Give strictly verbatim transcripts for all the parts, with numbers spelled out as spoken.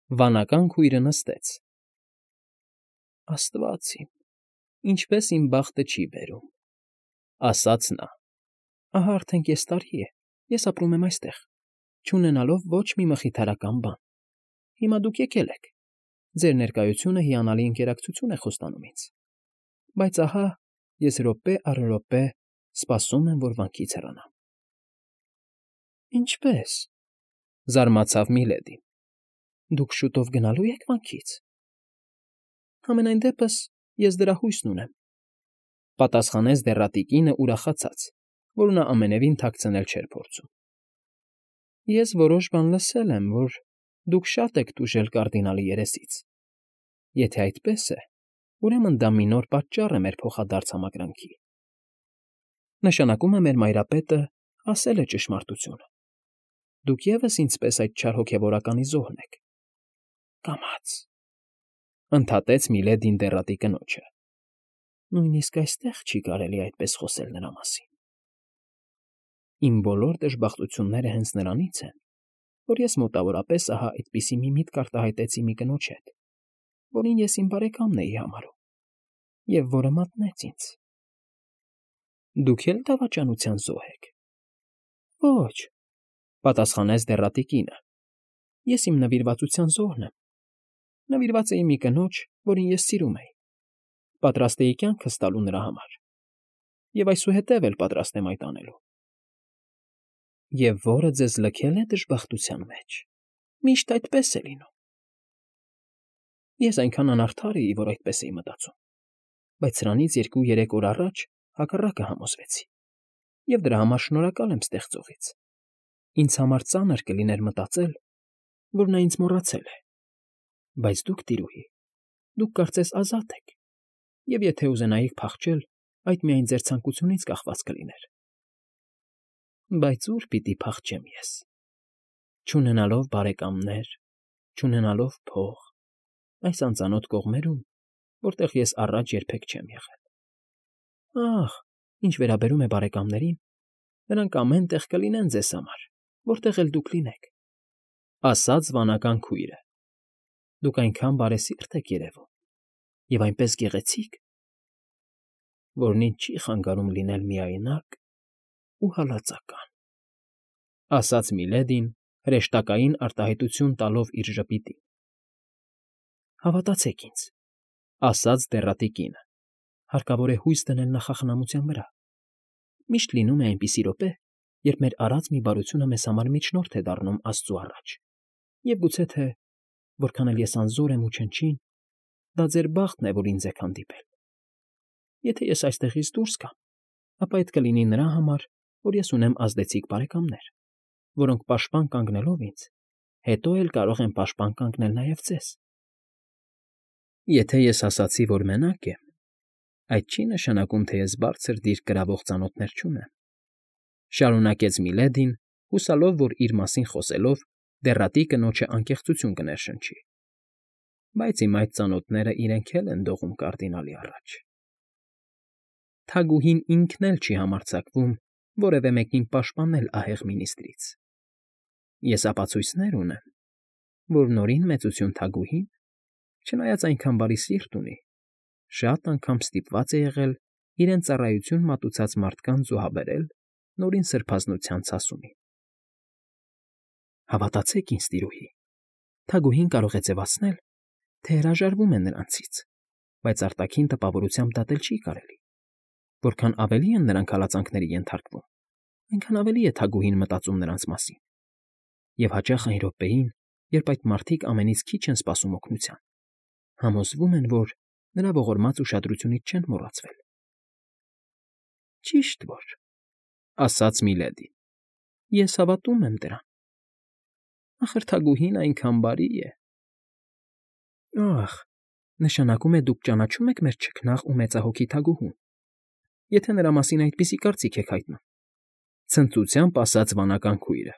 Վանական քույրը նստեց։ Աստված իմ, ինչպես իմ բախտը չի բերում, ասաց նա։ Ահա արդեն կես տարի է, ես ապրում եմ այստեղ, չունենալով ոչ մի մխիթարական բան։ Հիմա դուք եկել եք, ձեր ներկայությունը հիանալի ընկերակցություն է խոստանում ինձ, բայց ահա ես րոպե առ րոպե սպասում եմ, որ վանքից հեռանամ։ Ինչպե՞ս,֊ զարմացավ Միլեդին,֊ դուք շուտով գնալո՞ւ եք վանքից։ Համենայն դեպս ես դրա հույսն ունեմ,֊ պատասխանեց դեռատի կինը ուրախացած, որ նա ամենևին թաքցնել չէր փորձում։ Ես որոշ բան լսել եմ, որ դուք շատ եք տուժել կարդինալի երեսից։ Եթե այդպես է, ուրեմն դա մի նոր պատճառ է մեր փոխադարձ համակրանքի։ Նշանակում է մեր մայրապետը ասել է ճշմարտությունը։ Դուք ևս ինձպես այդ չար հոգևորականի զոհն եք։ Կամաց,֊ ընդհատեց Միլեդին դեռատի կնոջը։ Նույնիսկ այստեղ չի կարելի այդպես խոսել նրա մասին։ Իմ բոլոր դժբախտությունները հենց նրանից են, որ ես մոտավորապես ահա այդպիսի մի միտք արտահայտեցի մի կնոջ հետ, որին ես իմ բարեկամն էի համարում, և որը մատնեց ինձ։ Դուք էլ դավաճանության զոհ եք։ Ոչ,֊ պատասխանեց դեռատի կինը, ես իմ նվիրվածության զոհն եմ։ Նվիրված էի մի կնոջ, որին ես սիրում էի, պատրաստ էի կյանքս տալու նրա համար, և այսուհետև էլ պատրաստ եմ այդ անելու։ Եվ որը ձեզ լքել է դժբախտության մեջ, միշտ այդպես է լինում։ Ես այնքան անարդար էի, որ այդպես էի մտածում, բայց սրանից երկու֊երեք օր առաջ հակառակը համոզվեցի, և դրա համար շնորհակալ եմ ստեղծողից։ Ինձ համար ծանր կլիներ մտածել, որ նա ինձ մոռացել է։ Բայց դուք, տիրուհի, դուք կարծես ազատ եք, և եթե ուզենայիք փախչել, այդ միայն ձեր ցանկությունից կախված կլիներ։ Բայց ո՞ւր պիտի փախչեմ ես, չունենալով բարեկամներ, չունենալով փող, այս անծանոթ կողմերում, որտեղ ես առաջ երբեք չեմ եղել։ Ախ, ինչ վերաբերում է բարեկամներին, նրանք ամեն տեղ կլինեն ձեզ համար, որտեղ էլ դուք լինեք,֊ ասաց վանական քույրը։ Դուք այնքան բարեսիրտ եք երևում, և այնպես գեղեցիկ, որն ինձ չի խանգարում լինել միայնակ ու հալածական,֊ ասաց Միլեդին, հրեշտակային արտահայտություն տալով իր ժպիտին։ Հավատացեք ինձ,֊ ասաց դեռատի կինը, հարկավոր է հույս դնել նախախնամության վրա։ Միշտ լինում է այնպիսի րոպե, երբ մեր արած մի բարությունը մեզ համար միջնորդ է դառնում Աստծու առաջ, և գուցե թե, որքան էլ ես անզոր եմ ու չնչին, դա ձեր բախտն է, որ ինձ եք հանդիպել։ Եթե ես այստեղից դուրս գամ, ապա այդ կլինի նրա համար, որ ես ունեմ ազդեցիկ բարեկամներ, որոնք պաշտպան կանգնելով ինձ, հետո էլ կարող են պաշտպան կանգնել նաև ձեզ։ Եթե ես ասացի, որ մենակ եմ, այդ չի նշանակում, թե ես բարձր դիրք գրավող ծանոթներ չունեմ,֊ շարունակեց Միլեդին, հուսալով, որ իր մասին խոսելով դեռատի կնոջը անկեղծություն կներշնչի։ Բայց իմ այդ ծանոթները իրենք էլ են դողում կարդինալի առաջ։ Թագուհին ինքն էլ չի համարձակվում որևէ մեկին պաշտպանել ահեղ մինիստրից։ Ես ապացույցներ ունեմ, որ Նորին Մեծություն թագուհին, չնայած այնքան բարի սիրտ ունի, շատ անգամ ստիպված է եղել իրեն ծառայություն մատուցած մարդկանց զոհաբերել Նորին Սրբազնության ցասումին։ Հավատացեք ինձ, տիրուհի, թագուհին կարող է ձևացնել, թե հրաժարվում է նրանցից, բայց արտաքին տպավորությամբ դատել չի կարելի։ Որքան ավելի են նրանք հալածանքների ենթարկվում, այնքան ավելի է թագուհին մտածում նրանց մասին։ Եվ հաճախ այն րոպեին, երբ այդ մարդիկ ամենից քիչ են սպասում օգնության, համոզվում են, որ նրա ողորմած ուշադրությունից չեն մոռացվել։ Ճիշտ որ,֊ ասաց Միլեդին,֊ ես հավատում եմ դրան։ Ախր թագուհին այնքան բարի է։ Ախ, նշանակում է դուք ճանաչում եք մեր չքնաղ ու մեծահոգի թագուհուն, եթե նրա մասին այդպիսի կարծիք եք հայտնում,֊ ցնծությամբ ասաց վանական քույրը։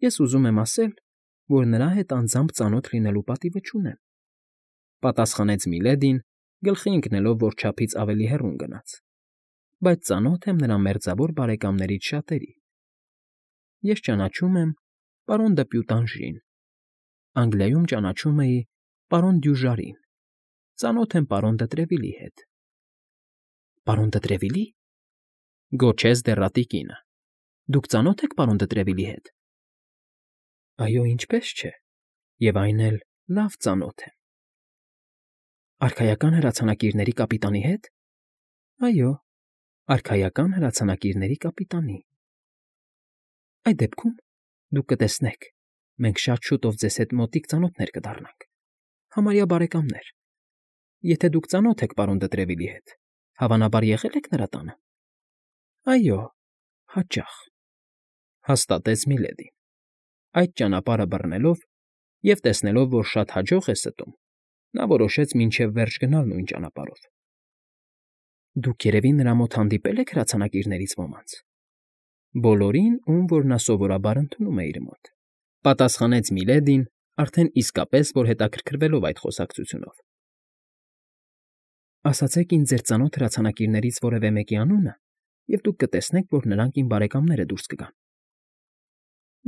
Ես ուզում եմ ասել, որ նրա հետ անձամբ ծանոթ լինելու պատիվը չունեմ,֊ պատասխանեց Միլեդին, գլխի ընկնելով, որ չափից ավելի հեռուն գնաց,֊ բայց ծանոթ եմ նրա մերձավոր բարեկամներից շատերի։ Ես ճանաչում եմ պարոն դը Պյուտանժին, Անգլիայում ճանաչում էի պարոն Դյուժարին, ծանոթ եմ պարոն Դտրևիլի հետ։ ֊ Պարոն Դտրևիլի՞, գոչեց դեռատի կինը։ Դուք ծանո՞թ եք պարոն Դտրևիլի հետ։ ֊ Այո, ինչպես չէ, և այն էլ լավ ծանոթ եմ։ ֊ Արքայական հրացանակիրների կապիտանի հետ։ ֊ Այո, արքայական հրացանակիրների կապիտանի։ ֊ Այդ դեպքում, դուք կտեսնեք, մենք շատ շուտով ձեզ հետ մոտիկ ծանոթներ կդառնանք, համարյա բարեկամներ։ Եթե դուք ծանոթ եք պարոն Դտրևիլի հետ, հավանաբար եղե՞լ եք նրա տանը։ ֊ Այո, հաճախ,֊ հաստատեց Միլեդին։ Այդ ճանապարհը բռնելով և տեսնելով, որ շատ հաջող է ստում, նա որոշեց մինչև վերջ գնալ նույն ճանապարհով։ ֊ Դուք երևի նրա մոտ հանդիպե՞լ եք հրացանակիրներից ոմանց։ ֊ Բոլորին, ում որ նա սովորաբար ընդունում է իր մոտ,֊ պատասխանեց Միլեդին, արդեն իսկապես որ հետաքրքրվելով այդ խոսակցությունով։ ֊ Ասացեք ինձ ձեր ծանոթ հրացանակիրներից որևէ մեկի անունը, և դուք կտեսնեք, որ նրանք իմ բարեկամները դուրս կգան։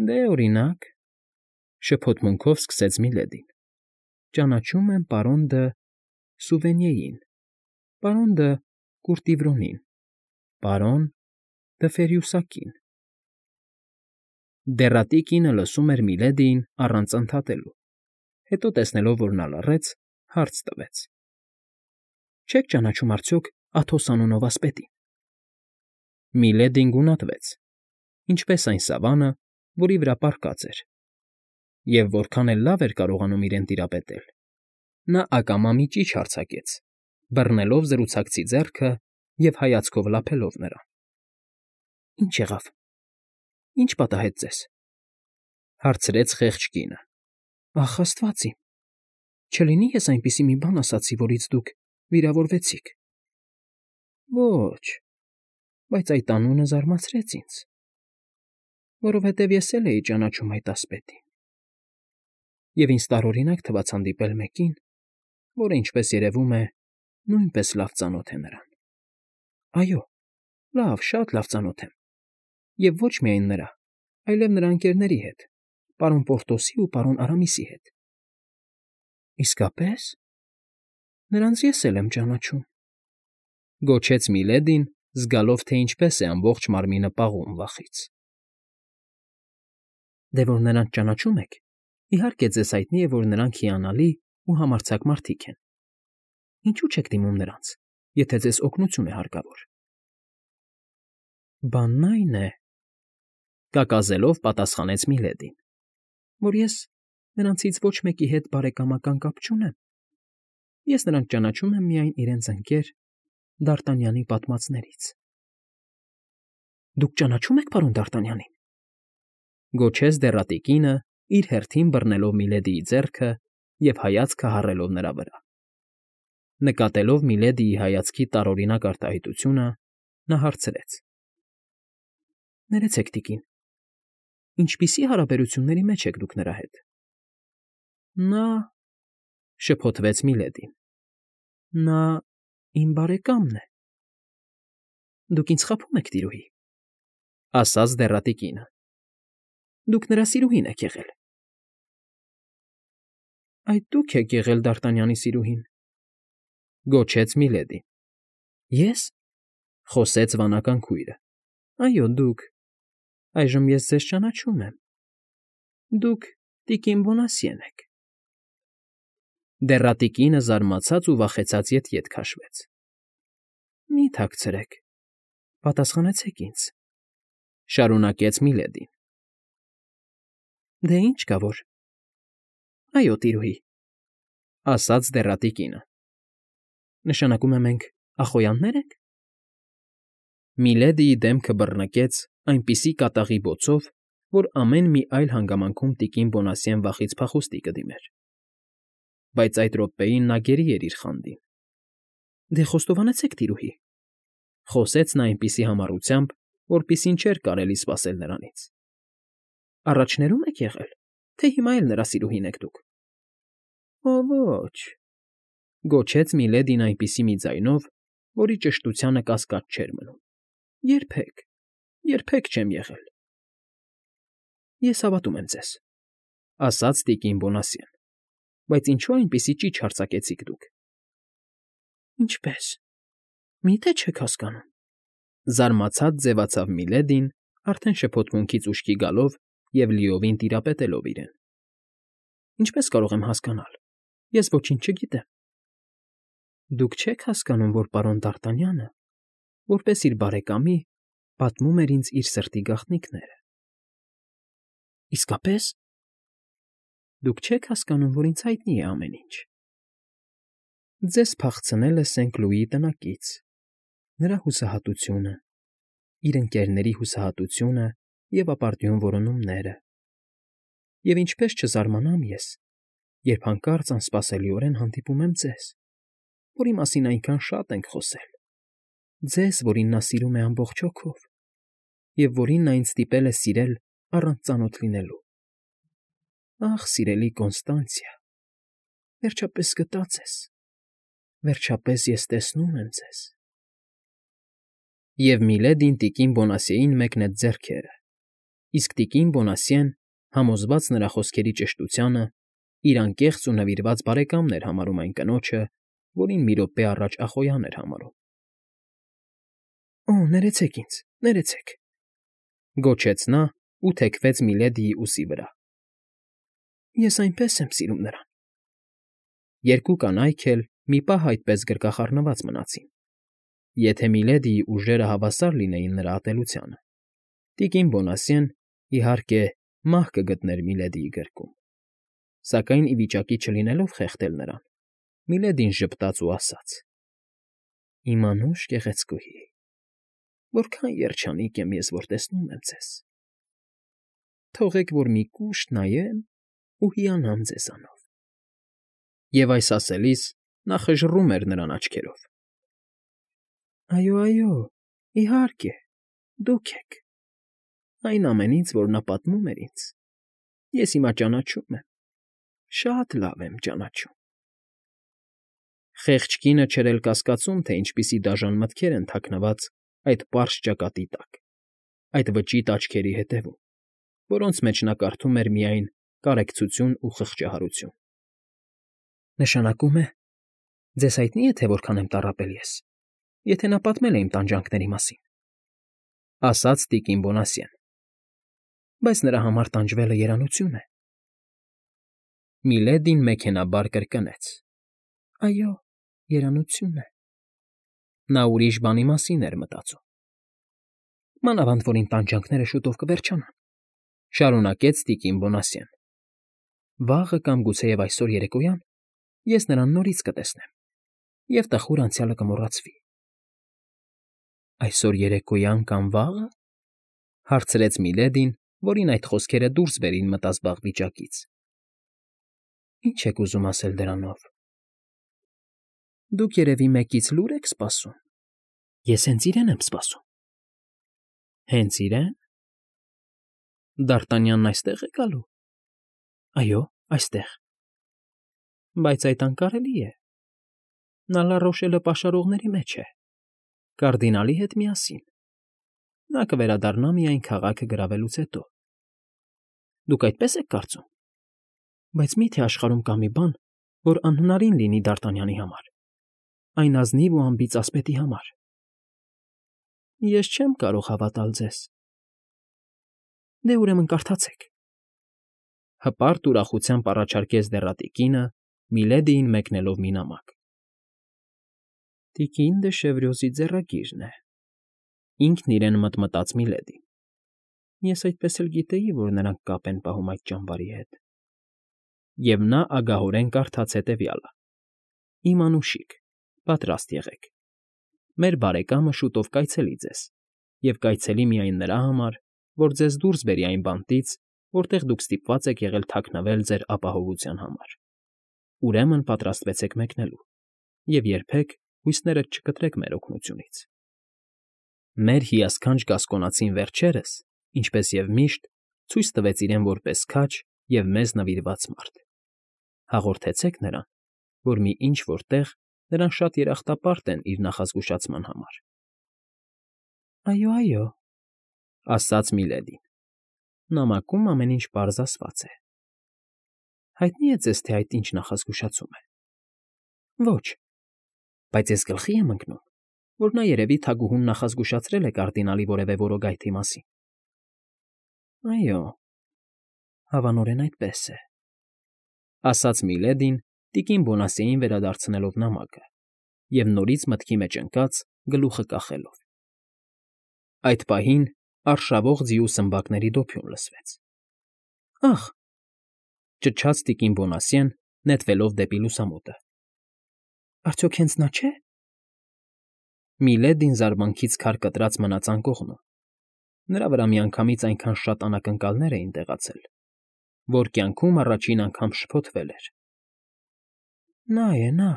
֊ Դե, օրինակ,֊ շփոթմունքով սկսեց Միլեդին,֊ ճանաչում եմ պարոն Դը Սուվենիեին, պարոն Դը Կուրտիվրոնին, պարոն Դը Ֆերյուսակին։ Դեռատի կինը լսում էր Միլեդիին առանց ընդհատելու, հետո տեսնելով, որ նա լռեց, հարց տվեց. ֊ Չե՞ք ճանաչում արդյոք Աթոս անունով ասպետին։ Միլեդին գունատվեց, ինչպես այն սավանը, որի վրա պառկած էր, և որքան էլ լավ էր կարողանում իրեն տիրապետել, նա ակամա մի ճիչ արձակեց, բռնելով զրուցակցի ձեռքը և հայացքով լափելով նրան։ ֊ Ի՞նչ եղավ, ի՞նչ պատահեց ձեզ,֊ հարցրեց խեղճ կինը։ ֊ Ախ, աստված իմ, չլինի ես այնպիսի մի բան ասացի, որից դուք վիրավորվեցիք։ ֊ Ոչ, բայց այդ անունը զարմացրեց ինձ, որովհետև ես էլ էի ճանաչում այդ ասպետին, և ինձ տարօրինակ թվաց հանդիպել մեկին, որը, ինչպես երևում է, նույնպես լավ ծանոթ է նրան։ ֊ Այո, լավ, շատ լավ ծանոթ եմ, և ոչ միայն նրա, այլև նրա ընկերների հետ, պարոն Պորտոսի ու պարոն Արամիսի հետ։ ֊ Իսկապե՞ս, նրանց ես էլ եմ ճանաչում,֊ գոչեց Միլեդին, զգալով, թե ինչպես է ամբողջ մարմինը պաղում վախից։ ֊ Դե որ նրանց ճանաչում եք, իհարկե ձեզ հայտնի է, որ նրանք հիանալի ու համարձակ մարդիկ են։ Ինչու՞ չեք դիմում նրանց, եթե ձեզ օգնություն է հարկավոր։ ֊ Բանն այն է,֊ կակազելով պատասխանեց Միլեդին,֊ որ ես նրանցից ոչ մեկի հետ բարեկամական կապ չունեմ։ Ես նրանց ճանաչում եմ միայն իրենց ընկեր Դարտանյանի պատմածներից։ ֊ Դուք ճանաչո՞ւմ եք պարոն Դարտանյանին,֊ գոչեց դեռատի կինը, իր հերթին բռնելով Միլեդիի ձեռքը և հայացքը հառելով նրա վրա։ Նկատելով Միլեդիի հայացքի տարօրինակ արտահայտությունը, նա հարցրեց. ֊ Ներեցեք, տիկին, ինչպիսի հարաբերությունների մեջ եք դուք նրա հետ։ ֊ Նա,֊ շփոթվեց Միլեդին,֊ նա իմ բարեկամն է։ ֊ Դուք ինձ խաբում եք, տիրուհի,֊ ասաց դեռատի կինը։ ֊ Դուք նրա սիրուհին եք եղել։ ֊ Այդ դուք եք եղել Դարտանյանի սիրուհին,֊ գոչեց Միլեդին։ ֊ Ե՞ս,֊ խոսեց վանական քույրը։ ֊ Այո, դուք… Այժմ ես ձեզ ճանաչում եմ։ Դուք տիկին Բոնասիեն եք։ Դեռատի կինը զարմացած ու վախեցած ետ֊ետ քաշվեց։ ֊ Մի՛ թաքցրեք, պատասխանեցեք ինձ,֊ շարունակեց Միլեդին։ ֊ Դե ինչ կա որ… Այո, տիրուհի,֊ ասաց դեռատի կինը։ ֊ Նշանակում է մենք ախոյաննե՞ր ենք։ Միլեդիի դեմքը բռնկեց այնպիսի կատաղի բոցով, որ ամեն մի այլ հանգամանքում տիկին Բոնասիեն վախից փախուստի կդիմեր։ Բայց այդ րոպեին նա գերի էր իր խանդին։ ֊ Դե խոստովանեցեք, տիրուհի,֊ խոսեց նա այնպիսի համառությամբ, որպիսին չէր կարելի սպասել նրանից։ ֊ Առաջներո՞ւմ եք եղել, թե հիմա էլ նրա սիրուհին եք դուք։ ֊ Օ, ոչ,֊ գոչեց Միլեդին այնպիսի մի ձայնով, որի ճշտությանը կասկած չէր մնում,֊ երբեք, երբեք չեմ եղել։ ֊ Ես հավատում եմ ձեզ, ասաց տիկին Բոնասյեն։ Բայց ինչո՞ւ այնպիսի ճիչ հարձակեցիք դուք։ Ինչպե՞ս։ Մի՞թե չեք հասկանում։ Զարմացած ձևացավ Միլեդին, արդեն շփոթմունքից ուշքի գալով և լիովին տիրապետելով իրեն։ Ինչպե՞ս կարող եմ հասկանալ։ Ես ոչինչ չգիտեմ։ Դուք չեք հասկանում, որ պարոն Դ'Արտանյանը, որպես իր բարեկամի, պատմում էր ինձ իր սրտի գաղտնիքները։ Իսկապե՞ս։ Դուք չեք հասկանում, որ ինձ հայտնի է ամեն ինչ։ Ձեզ փախցնել է Սենկլուիի տնակից, նրա հուսահատությունը, իր ընկերների հուսահատությունը և ապարդյուն որոնումները։ Եվ ինչպես չզարմանամ ես, երբ հանկարծ անսպասելիորեն հանդիպում եմ ձեզ, որի մասին այնքան շատ ենք խոսել, ձեզ, որին նա սիրում է ամբողջ հոգով, և որին նա ինձ ստիպել է սիրել առանց ծանոթ լինելու։ Ախ, սիրելի Կոնստանցիա, վերջապես գտա ձեզ, վերջապես ես տեսնում եմ ձեզ… Եվ Միլեդին տիկին Բոնասիեին մեկնեց ձեռքերը, իսկ տիկին Բոնասիեն, համոզված նրա խոսքերի ճշտությանը, իր անկեղծ ու նվիրված բարեկամն էր համարում այն կնոջը, որին մի րոպե առաջ ախոյան էր համարում։ Օ՜, ներեցեք ինձ, ներեցեք,֊ գոչեց նա ու թեքվեց Միլեդիի ուսի վրա։ Ես այնպես եմ սիրում նրան… Երկու կանայք էլ մի պահ այդպես գրկախառնված մնացին։ Եթե Միլեդիի ուժերը հավասար լինեին նրա ատելությանը, տիկին Բոնասիեն, իհարկե, մահ կգտներ Միլեդիի գրկում, սակայն ի վիճակի չլինելով խեղդել նրան, Միլեդին ժպտաց ու ասաց. Իմ անուշ գեղեցկուհի, որքան երջանիկ եմ ես, որ տեսնում եմ ձեզ… Թողեք, որ մի կուշտ նայեմ ու հիանամ ձեզանով… Եվ այս ասելիս նա խժռում էր նրան աչքերով։ Այո, այո, իհարկե, դուք եք… Այն ամենից, որ նա պատմում էր ինձ, ես հիմա ճանաչում եմ, շատ լավ եմ ճանաչում… Խեղճ կինը չէր էլ կասկածում, թե ինչպիսի դաժան մտքեր են թաքնված այդ պարզ ճակատի տակ, այդ վճիտ աչքերի հետևում, որոնց մեջ նա կարդում էր միայն կարեկցություն ու խղճահարություն։ Նշանակում է, ձեզ հայտնի է, թե որքան եմ տառապել ես, եթե նա պատմել է իմ տանջանքների մասին,֊ ասաց տիկին Բոնասիեն։ Բայց նրա համար տանջվելը երանություն է։ Միլեդին մեքենայաբար կրկնեց. Այո, երանություն է… Նա ուրիշ բանի մասին էր մտածում։ Մանավանդ որ իմ տանջանքները շուտով կվերջանան,֊ շարունակեց տիկին Բոնասիեն։ Վաղը կամ գուցեև այսօր երեկոյան ես նրան նորից կտեսնեմ, և տխուր անցյալը կմոռացվի։ Այսօր երեկոյան կամ վաղը,֊ հարցրեց Միլեդին, որին այդ խոսքերը դուրս բերին մտազբաղ վիճակից։ Ինչ եք ուզում ասել դրանով։ Դուք երևի մեկից լուր եք սպասում։ Ես հենց իրեն եմ սպասում։ Հենց իրե՞ն։ Դ'Արտանյանն այստե՞ղ է գալու։ Այո, այստեղ։ Բայց այդ անկարելի է։ Նա Լա֊Ռոշելը պաշարողների մեջ է, կարդինալի հետ միասին։ Նա կվերադառնա միայն քաղաքը գրավելուց հետո։ Դուք այդպես եք կարծում։ Բայց մի՞թե աշխարհում կա մի բան, որ անհնարին լինի Դ'Արտանյանի համար, այն ազնիվ ու անբիծ ասպետի համար։ Ես չեմ կարող հավատալ ձեզ։ Դե ուրեմն կարդացեք,֊ հպարտ ուրախությամբ առաջարկեց դեռատիկինը, Միլեդիին մեկնելով մի նամակ։ Տիկին դը Շևրյոզի ձեռագիրն է,֊ ինքն իրեն մտմտաց Միլեդին։ Ես այդպես էլ գիտեի, որ նրանք կապ են պահում այդ ճամբարի հետ։ Եվ նա ագահորեն կարդաց հետևյալը. Իմ անուշիկ, պատրաստ եղեք։ Մեր բարեկամը շուտով կայցելի ձեզ, և կայցելի միայն նրա համար, որ ձեզ դուրս բերի այն բանտից, որտեղ դուք ստիպված եք եղել թաքնվել ձեր ապահովության համար։ Ուրեմն պատրաստվեցեք մեկնելու, և երբեք հույսներդ չկտրեք մեր օգնությունից։ Մեր հիասքանչ գասկոնացին վերջերս, ինչպես և միշտ, ցույց տվեց իրեն որպես քաջ և մեզ նվիրված մարդ։ Հաղորդեցեք նրան, որ մի ինչ֊որ տեղ նրան շատ երախտապարտ են իր նախազգուշացման համար։ Այո, այո,֊ ասաց Միլեդին։ Նամակում ամեն ինչ պարզ ասված է։ Հայտնի է ձեզ, թե այդ ինչ նախազգուշացում է։ Ոչ, բայց ես գլխի եմ ընկնում, որ նա երևի թագուհուն նախազգուշացրել է կարդինալի որևէ որոգայթի մասին։ Այո, հավանորեն այդպես է, ասաց Միլեդին, տիկին Բոնասիեին վերադարձնելով նամակը և նորից մտքի մեջ ընկած գլուխը կախելով։ Այդ պահին արշավող ձիու սմբակների դոփյուն լսվեց։ Ախ, ճչաց տիկին Բոնասիեն, նետվելով դեպի լուսամուտը։ Արդյոք հենց նա չէ։ Միլեդին զարմանքից քար կտրած մնաց անկողնում։ Նրա վրա միանգամից այնքան շատ անակնկալներ էին տեղացել, որ կյանքում առաջին անգամ շփոթվել էր։ Նա է, նա,֊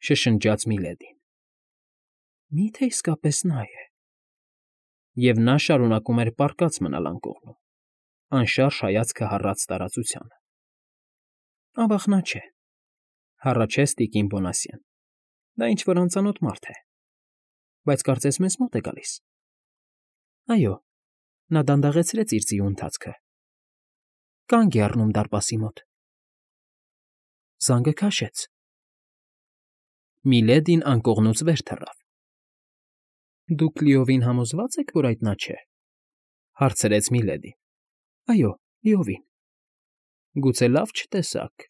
շշնջաց Միլեդին։ Մի՞թե իսկապես նա է։ Եվ նա շարունակում էր պառկած մնալ անկողնում, անշարժ հայացքը հառած տարածությանը։ Ավա՜ղ նա չէ,֊ հառաչեց տիկին Բոնասիեն։ Դա ինչ֊որ անծանոթ մարդ է, բայց կարծես մեզ մոտ է գալիս։ Այո, նա դանդաղեցրեց իր ձիու ընթացքը։ Կանգ է առնում դարպասի մոտ։ Զանգը քաշեց։ Միլեդին անկողնուց վեր թռավ։ Դուք լիովին համոզվա՞ծ եք, որ այդ նա չէ,֊ հարցրեց Միլեդին։ Այո, լիովին։ Գուցե լավ չտեսաք։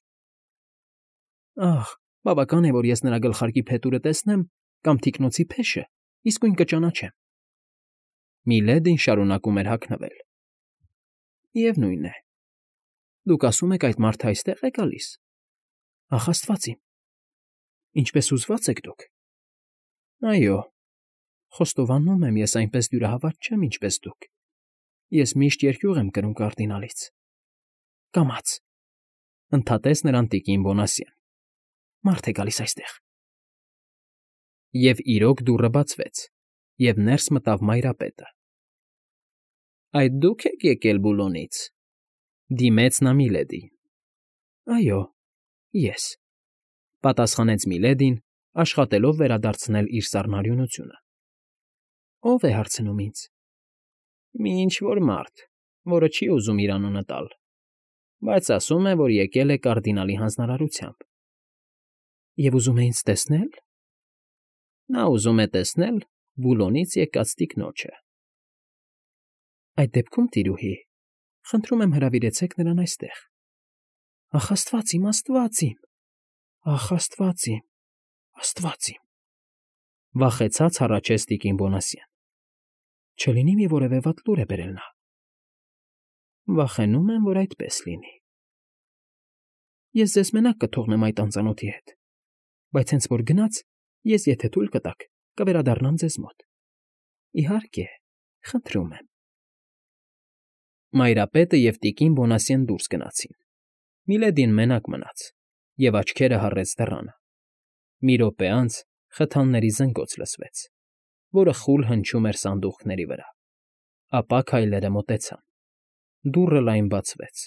Ախ, բավական է, որ ես նրա գլխարկի փետուրը տեսնեմ կամ թիկնոցի փեշը, իսկույն կճանաչեմ։ Միլեդին շարունակում էր հագնվել։ Միևնույն է, դուք ասում եք այդ մարդը այստեղ է գալիս։ Ախ, աստված իմ, ինչպես հուզված եք դուք։ Այո, խոստովանում եմ, ես այնպես դյուրահավատ չեմ, ինչպես դուք։ Ես միշտ երկյուղ եմ կրում կարդինալից։ Կամաց,֊ ընդհատեց նրան տիկին Բոնասիեն։ Մարդ է գալիս այստեղ։ Եվ իրոք դուռը բացվեց, և ներս մտավ Մայրապետը։ Այդ դու՞ք եք եկել Բուլոնից,֊ դիմեց նա Միլեդիին։ Այո, ես,֊ պատասխանեց Միլեդին, աշխատելով վերադարձնել իր սառնարյունությունը։ Ո՞վ է հարցնում ինձ։ Մի ինչ֊որ մարդ, որը չի ուզում իր անունը տալ, բայց ասում է, որ եկել է կարդինալի հանձնարարությամբ։ Եվ ուզում է ինձ տեսնե՞լ։ Նա ուզում է տեսնել Բուլոնից եկած տիկնոջը։ Այդ դեպքում, տիրուհի, խնդրում եմ հրավիրեցեք նրան այստեղ։ Ախ, աստված իմ, աստված իմ, ախ, աստված իմ, աստված իմ,֊ վախեցած հառաչեց տիկին Բոնասիեն։ Չլինի՞ մի որևէ վատ լուր է բերել նա։ Վախենում եմ, որ այդպես լինի։ Ես ձեզ մենակ կթողնեմ այդ անծանոթի հետ, բայց հենց որ գնաց, ես, եթե թույլ կտաք, կվերադառնամ ձեզ մոտ։ Իհարկե, խնդրում եմ։ Մայրապետը և տիկին Բոնասիեն դուրս գնացին։ Միլեդին մենակ մնաց և աչքերը հառեց դռանը։ Մի րոպե անց խթանների զնգոց լսվեց, որը խուլ հնչում էր սանդուղքների վրա, ապա քայլերը մոտեցան։ Դուռը լայն բացվեց,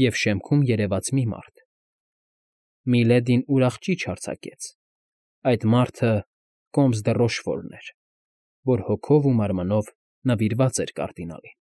և շեմքում երևաց մի մարդ։ Միլեդին ուրախ ճիչ արձակեց։ Այդ մարդը Կոմս դը Ռոշֆորն էր, որ հոգով ու մարմնով նվիրված էր կարդինալին։